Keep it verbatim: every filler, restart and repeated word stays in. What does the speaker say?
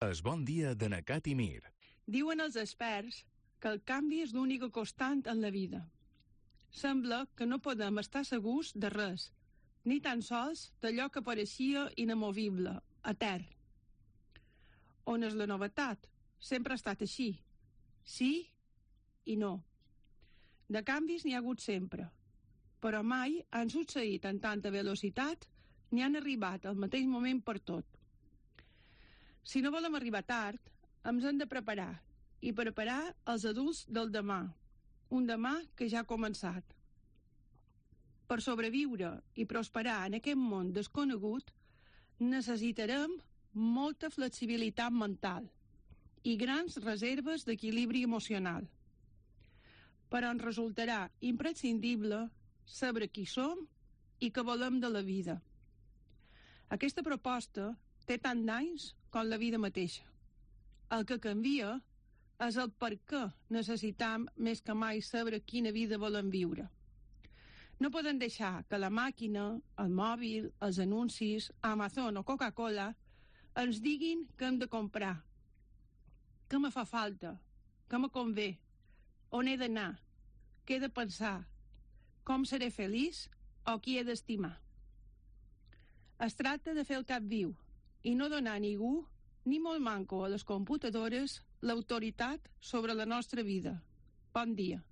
Es bon dia de Nacat i Mir. Diuen els experts que el canvi és l'única constant en la vida. Sembla que no podem estar segurs de res, ni tan sols d'allò que pareixia inamovible, etern. On és la novetat? Sempre ha estat així. Sí i no. De canvis n'hi ha hagut sempre, però mai han succeït en tanta velocitat ni han arribat al mateix moment per tot. Si no volem arribar tard, ens hem de preparar, i preparar els adults del demà, un demà que ja ha començat. Per sobreviure i prosperar en aquest món desconegut, necessitarem molta flexibilitat mental i grans reserves d'equilibri emocional. Però ens resultarà imprescindible saber qui som i què volem de la vida. Aquesta proposta té tant d'anys com la vida mateixa. El que canvia és el per què necessitam més que mai saber quina vida volem viure. No podem deixar que la màquina, el mòbil, els anuncis, Amazon o Coca-Cola ens diguin què hem de comprar, què me fa falta, què me convé, on he d'anar, què he de pensar, com seré feliç o qui he d'estimar. Es tracta de fer el cap viu i no donar a ningú, ni molt manco a les computadores, l'autoritat sobre la nostra vida. Bon dia.